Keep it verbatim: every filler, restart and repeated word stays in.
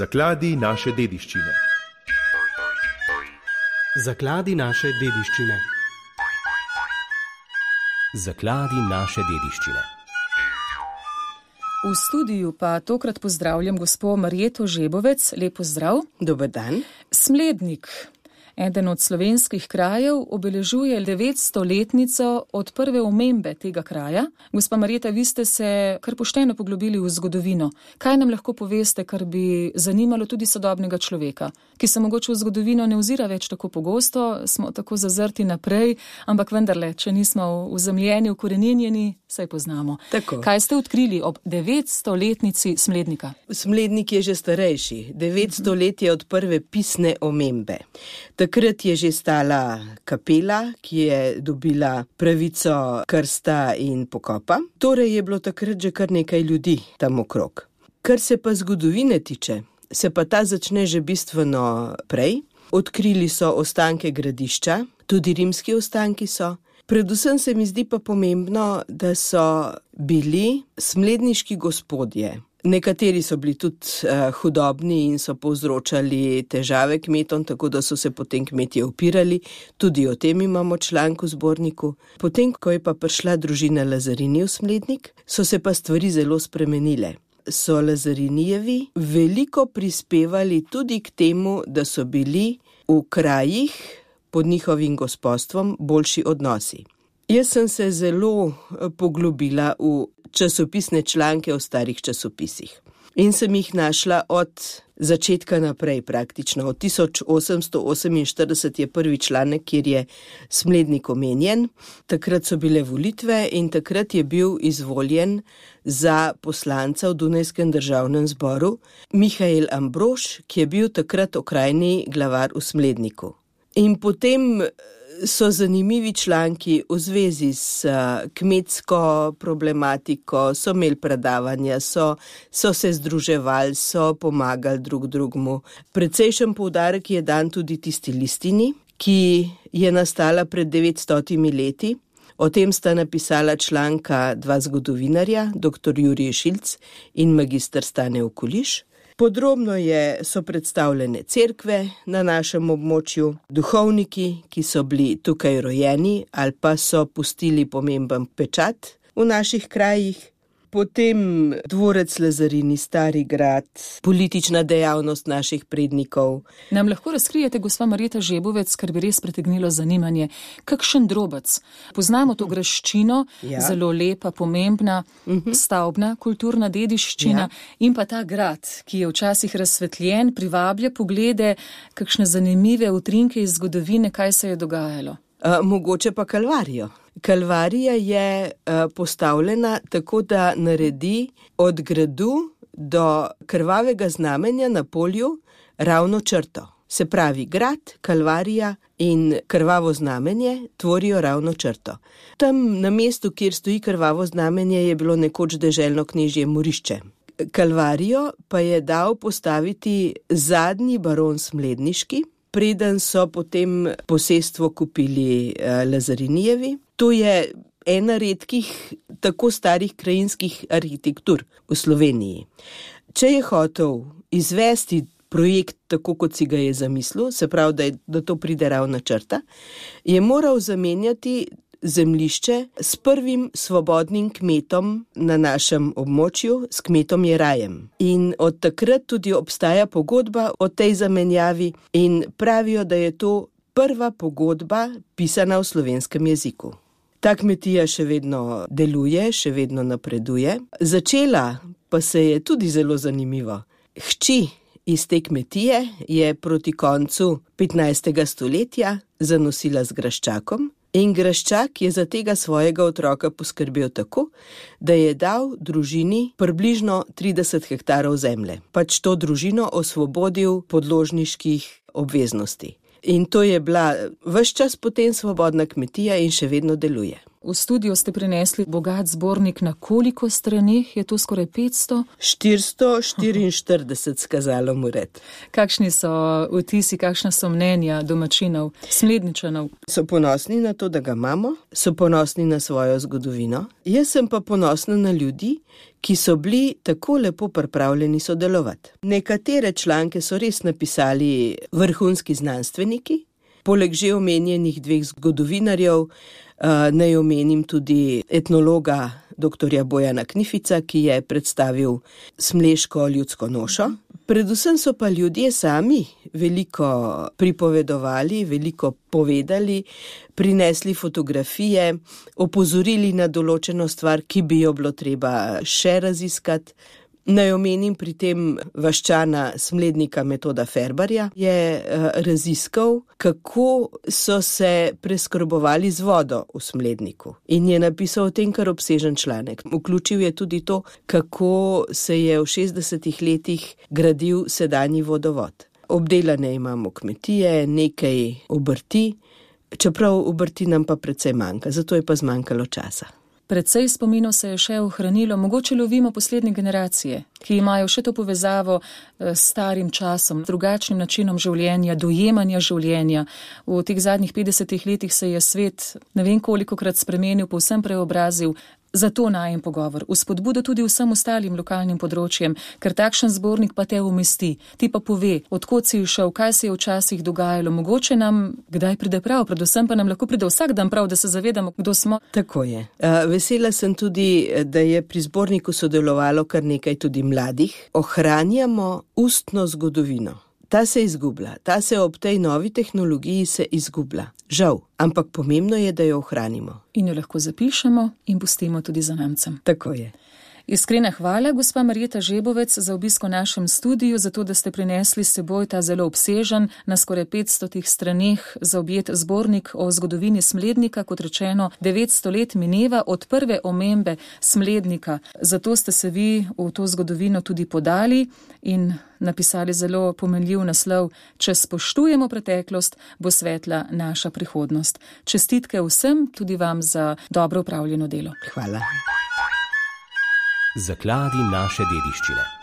Zakladi naše dediščine. Zakladi naše dediščine. Zakladi naše dediščine. V studiu pa tokrat pozdravljam gospo Marjeto Žebovec. Lep pozdrav. Dober dan. Smlednik, eden od slovenskih krajev, obeležuje devetstoletnico od prve omembe tega kraja. Gospa Marjeta, vi ste se kar pošteno poglobili v zgodovino. Kaj nam lahko poveste, kar bi zanimalo tudi sodobnega človeka, ki se mogoče v zgodovino ne ozira več tako pogosto, smo tako zazrti naprej, ampak vendarle, če nismo uzemljeni, ukoreninjeni, saj poznamo. Tako. Kaj ste odkrili ob devetstoletnici Smlednika? Smlednik je že starejši. devetsto let je od prve pisne omembe. Takrat je že stala kapela, ki je dobila pravico krsta in pokopa. Torej je bilo takrat že kar nekaj ljudi tam okrog. Kar se pa zgodovine tiče, se pa ta začne že bistveno prej. Odkrili so ostanke gradišča, tudi rimski ostanki so. Predvsem se mi zdi pa pomembno, da so bili smledniški gospodje. Nekateri so bili tudi uh, hudobni in so povzročali težave kmetom, tako da so se potem kmetje upirali. Tudi o tem imamo članek v zborniku. Potem, ko je pa prišla družina Lazarini v Smlednik, so se pa stvari zelo spremenile. So Lazarinijevi veliko prispevali tudi k temu, da so bili v krajih pod njihovim gospodstvom boljši odnosi. Jaz sem se zelo poglobila v časopisne članke o starih časopisih in sem jih našla od začetka naprej praktično. Od tisoč osemsto oseminštirideset je prvi članek, kjer je Smlednik omenjen. Takrat so bile volitve in takrat je bil izvoljen za poslanca v Dunajskem državnem zboru Mihael Ambrož, ki je bil takrat okrajni glavar v Smledniku. In potem so zanimivi članki v zvezi s kmetsko problematiko, so imeli predavanja, so, so se združevali, so pomagali drug drugmu. Precejšen poudarek je dan tudi tisti listini, ki je nastala pred devetstotimi leti. O tem sta napisala članka dva zgodovinarja, doktor Jurij Šilc in magister Stane Okuliš. Podrobno je, so predstavljene cerkve na našem območju, duhovniki, ki so bili tukaj rojeni ali pa so pustili pomemben pečat v naših krajih. Potem dvorec Lazarini, Stari grad, politična dejavnost naših prednikov. Nam lahko razkrijete, gospa Marjeta Žebovec, kar bi res pritegnilo zanimanje, kakšen drobec? Poznamo to graščino, ja. Zelo lepa, pomembna, uh-huh. stavbna, kulturna dediščina, ja. In pa ta grad, ki je včasih razsvetljen, privablja poglede, kakšne zanimive utrinke iz zgodovine, kaj se je dogajalo. Uh, mogoče pa Kalvarijo. Kalvarija je uh, postavljena tako, da naredi od gradu do krvavega znamenja na polju ravno črto. Se pravi, grad, Kalvarija in krvavo znamenje tvorijo ravno črto. Tam na mestu, kjer stoji krvavo znamenje, je bilo nekoč deželno knežje Morišče. Kalvarijo pa je dal postaviti zadnji baron Smledniški, preden so potem posestvo kupili uh, Lazarinijevi. To je ena redkih tako starih krajinskih arhitektur v Sloveniji. Če je hotel izvesti projekt tako, kot si ga je zamislil, se pravi, da, je, da to pride ravna črta, je moral zamenjati zemljišče s prvim svobodnim kmetom na našem območju, s kmetom Jerajem. In od takrat tudi obstaja pogodba o tej zamenjavi in pravijo, da je to prva pogodba pisana v slovenskem jeziku. Ta kmetija še vedno deluje, še vedno napreduje. Začela pa se je tudi zelo zanimivo. Hči iz te kmetije je proti koncu petnajstega stoletja zanosila z graščakom in graščak je za tega svojega otroka poskrbel tako, da je dal družini približno trideset hektarov zemlje. Pač to družino osvobodil podložniških obveznosti. In to je bila ves čas potem svobodna kmetija in še vedno deluje. V studio ste prinesli bogat zbornik, na koliko straneh je to, skoraj petsto? štiristo štiriinštirideset skazalo moret. Kakšni so vtisi, kakšna so mnenja domačinov, Smledničanov? So ponosni na to, da ga imamo, so ponosni na svojo zgodovino. Jaz sem pa ponosna na ljudi, ki so bili tako lepo pripravljeni sodelovati. Nekatere članke so res napisali vrhunski znanstveniki, poleg že omenjenih dveh zgodovinarjev, naj omenim tudi etnologa doktorja Bojana Knifica, ki je predstavil smleško ljudsko nošo. Predvsem so pa ljudje sami veliko pripovedovali, veliko povedali, prinesli fotografije, opozorili na določeno stvar, ki bi jo bilo treba še raziskati. Naj omenim pri tem vaščana Smlednika Metoda Ferbarja, je raziskal, kako so se preskrbovali z vodo v Smledniku. In je napisal o tem kar obsežen članek. Vključil je tudi to, kako se je v šestdesetih letih gradil sedanji vodovod. Obdelane imamo kmetije, nekaj obrti, čeprav obrti nam pa precej manjka, zato je pa zmanjkalo časa. Predvsej spominov se je še ohranilo, mogoče lovimo poslednje generacije, ki imajo še to povezavo s starim časom, drugačnim načinom življenja, dojemanja življenja. V teh zadnjih petdesetih letih se je svet ne vem kolikokrat spremenil, povsem preobrazil. Zato najem pogovor, vzpodbudo tudi vsem ostalim lokalnim področjem, ker takšen zbornik pa te umesti, ti pa pove, odkot si šel, kaj se je včasih dogajalo, mogoče nam kdaj pride prav, predvsem pa nam lahko pride vsak dan prav, da se zavedamo, kdo smo. Tako je. Vesela sem tudi, da je pri zborniku sodelovalo kar nekaj tudi mladih. Ohranjamo ustno zgodovino. Ta se izgublja, ta se ob tej novi tehnologiji se izgublja. Žal, ampak pomembno je, da jo ohranimo. In jo lahko zapišemo in pustimo tudi zanamcem. Tako je. Iskrena hvala, gospa Marjeta Žebovec, za obisko v našem studiu, zato da ste prinesli s seboj ta zelo obsežen, na skoraj petstotih straneh zaobjet zbornik o zgodovini Smlednika, kot rečeno, devetsto let mineva od prve omembe Smlednika. Zato ste se vi v to zgodovino tudi podali in napisali zelo pomenljiv naslov: Če spoštujemo preteklost, bo svetla naša prihodnost. Čestitke vsem, tudi vam za dobro upravljeno delo. Hvala. Zakladi naše dediščine.